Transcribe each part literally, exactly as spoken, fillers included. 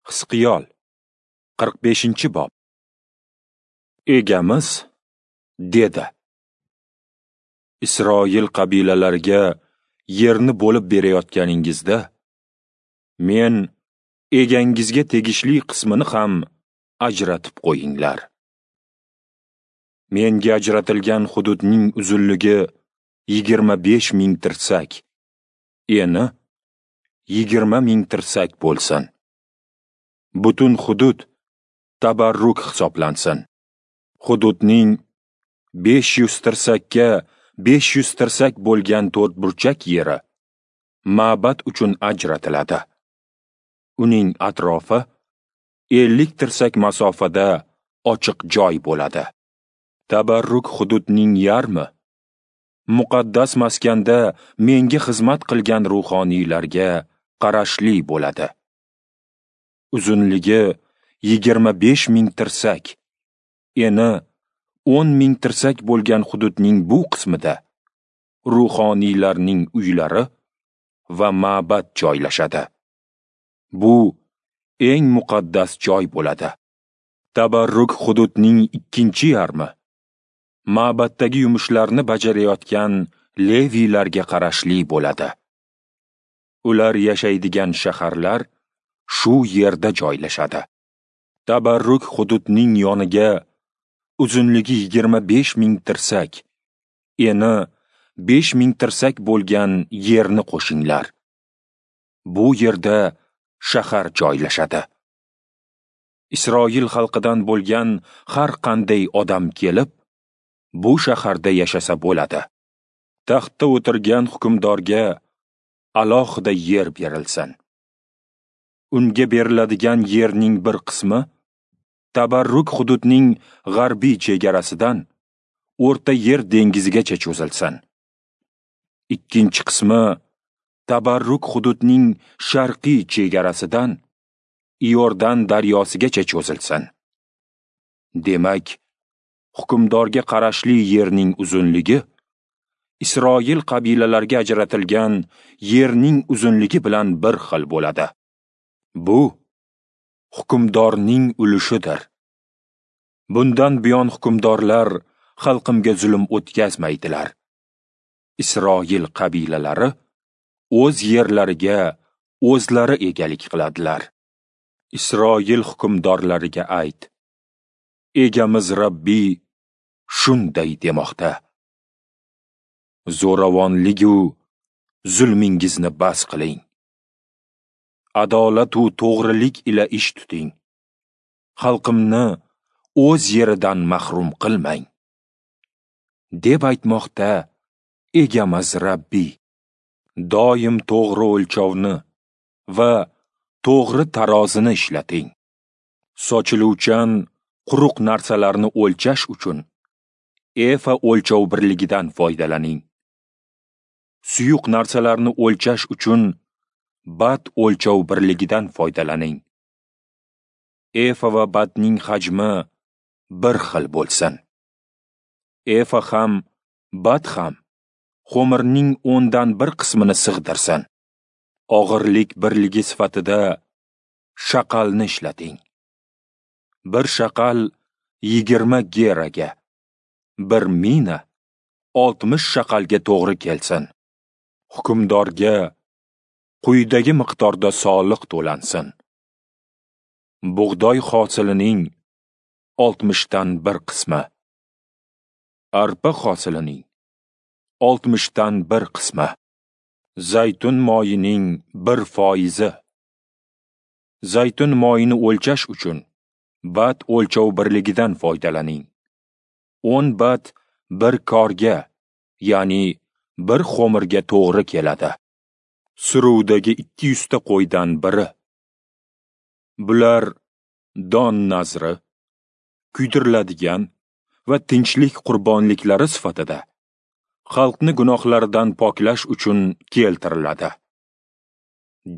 Hizqiyol qirq beshinchi bob. Egamiz dedi: Isroil qabilalariga yerni bo'lib berayotganingizda, men egangizga tegishli qismini ham ajratib qo'yinglar. Menga ajratilgan hududning uzunligi yigirma besh ming tirsak, eni yigirma ming tirsak bo'lsin. Butun hudud tabarruk hisoblansin. Hududning besh yuz tirsakka besh yuz tirsak bo'lgan to'rtburchak yeri ma'bad uchun ajratiladi. Uning atrofi ellik tirsak masofada ochiq joy bo'ladi. Tabarruk hududning yarmi muqaddas maskanda menga xizmat qilgan ruhoniylarga qarashli bo'ladi. Uzunligi yigirma besh ming tirsak, eni o'n ming tirsak bo'lgan hududning bu qismida ruhoniylarning uylari va ma'bad joylashadi. Bu eng muqaddas joy bo'ladi. Tabarruk hududning ikkinchi yarmi ma'baddagi yumushlarni bajarayotgan leviylarga qarashli bo'ladi. Ular yashaydigan shaharlar shu yerda joylashadi. Tabarruk hududning yoniga uzunligi yigirma besh ming tirsak, eni besh ming tirsak bo'lgan yerni qo'shinglar. Bu yerda shahar joylashadi. Isroil xalqidan bo'lgan har qanday odam kelib, bu shaharda yashasa bo'ladi. Taxtda o'tirgan hukmdorga alohida yer berilsin. Unga beriladigan yerning bir qismi tabarruk hududning g'arbiy chegarasidan O'rta Yer dengizigacha cho'zilsin. Ikkinchi qismi tabarruk hududning sharqiy chegarasidan Iordan daryosigacha cho'zilsin. Demak, hukmdorga qarashli yerning uzunligi Isroil qabilalariga ajratilgan yerning uzunligi bilan bir xil bo'ladi. Bu hukmdorning ulushidir. Bundan buyon hukmdorlar xalqimga zulm o'tkazmaydilar. Isroil qabilalari o'z yerlariga o'zlari egalik qiladilar. Isroil hukmdorlariga ayt: Egamiz Rabbiy shunday demoqda: Zo'ravonlik-u zulmingizni bas qiling. Adolat u to'g'rilik ila ish tuting. Xalqimni o'z yeridan mahrum qilmang, deb aytmoqda Egamiz Rabbiy. Doim to'g'ri o'lchovni va to'g'ri tarozini ishlating. Sochiluvchan quruq narsalarni o'lchash uchun efa o'lchov birligidan foydalaning. Suyuq narsalarni o'lchash uchun bat o'lchov birligidan foydalaning. Efa va batning hajmi bir xil bo'lsin. Efa ham, bat ham xo'mirning o'ndan bir qismini sig'dirsin. Og'irlik birligi sifatida shaqalni ishlating. Bir shaqal yigirma geraga, bir mina oltmish shaqalga to'g'ri kelsin. Hukmdorga quyidagi miqdorda soliq to'lansin. Bug'doy hosilining oltmishdan bir qismi, arpa hosilining oltmishdan bir qismi, zaytun moyining bir foizi. Zaytun moyini o'lchash uchun bat o'lchov birligidan foydalaning. o'n bat bir korga, ya'ni bir xo'mirga to'g'ri keladi. Suruvdagi ikki yuzta qo'ydan biri. Bular don nazri, kuydiriladigan va tinchlik qurbonliklari sifatida xalqni gunohlaridan poklash uchun keltiriladi,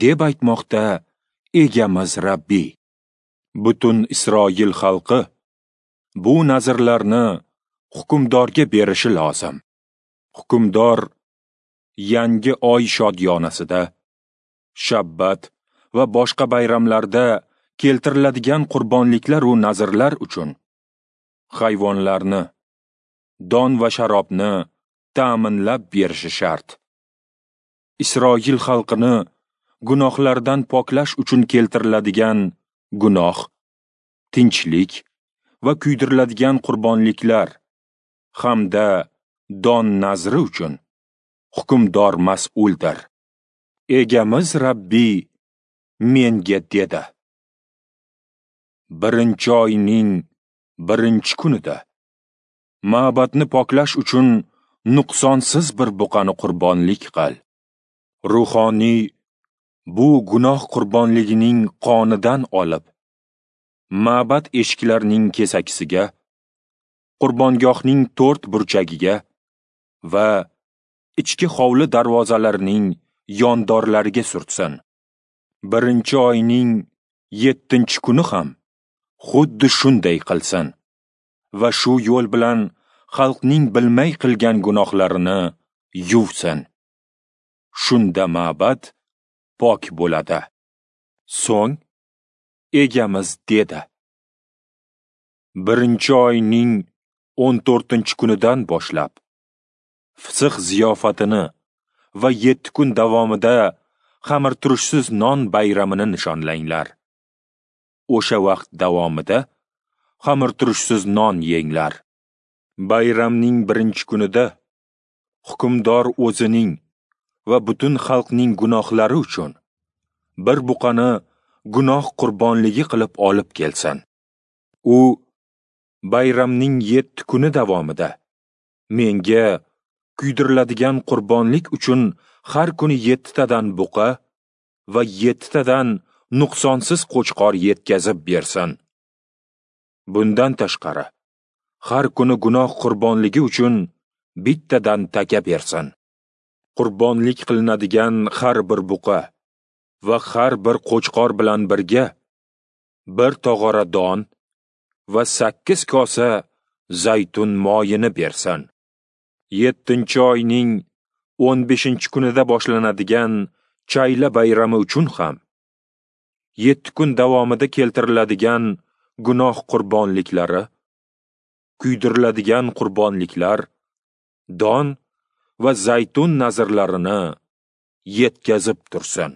deb aytmoqda Egamiz Rabbiy. Butun Isroil xalqi bu nazrlarni hukmdorga berishi lozim. Hukmdor yangi oy shodiyonasida, shabbat va boshqa bayramlarda keltiriladigan qurbonliklar u nazrlar uchun hayvonlarni, don va sharobni ta'minlab berishi shart. Isroil xalqini gunohlardan poklash uchun keltiriladigan gunoh, tinchlik va kuydiriladigan qurbonliklar hamda don nazri uchun hukmdor mas'uldir. Egamiz Rabbiy menga dedi: birinchi oyning birinchi kunida ma'badni poklash uchun nuqsonsiz bir buqani qurbonlik qil. Ruhoniy bu gunoh qurbonligining qonidan olib, ma'bad eshiklarining kesakisiga, qurbongohning to'rt burchagiga va ichki hovli darvozalarining yondorlariga surtsin. Birinchi oyning yettinchi kuni ham xuddi shunday qilsin va shu yo'l bilan xalqning bilmay qilgan gunohlarini yuvsin. Shunda ma'bad pok bo'ladi. So'ng egamiz dedi: birinchi oyning o'n to'rtinchi kunidan boshlab Fisix ziyofatini va yetti kun davomida xamirturushsiz non bayramini nishonlanglar. O'sha vaqt davomida xamirturushsiz non yenglar. Bayramning birinchi kunida hukmdor o'zining va butun xalqning gunohlari uchun bir buqani gunoh qurbonligi qilib olib kelsin. U bayramning yetti kuni davomida menga kuydiriladigan qurbonlik uchun har kuni yettitadan buqa va yettitadan nuqsonsiz qo'chqor yetkazib bersin. Bundan tashqari, har kuni gunoh qurbonligi uchun bittadan taka bersin. Qurbonlik qilinadigan har bir buqa va har bir qo'chqor bilan birga bir tog'ora don va sakkiz kosa zaytun moyini bersin. Yettinchi oyning o'n beshinchi kunida boshlanadigan chayla bayrami uchun ham yetti kun davomida keltiriladigan gunoh qurbonliklari, kuydiriladigan qurbonliklar, don va zaytun nazrlarini yetkazib tursin.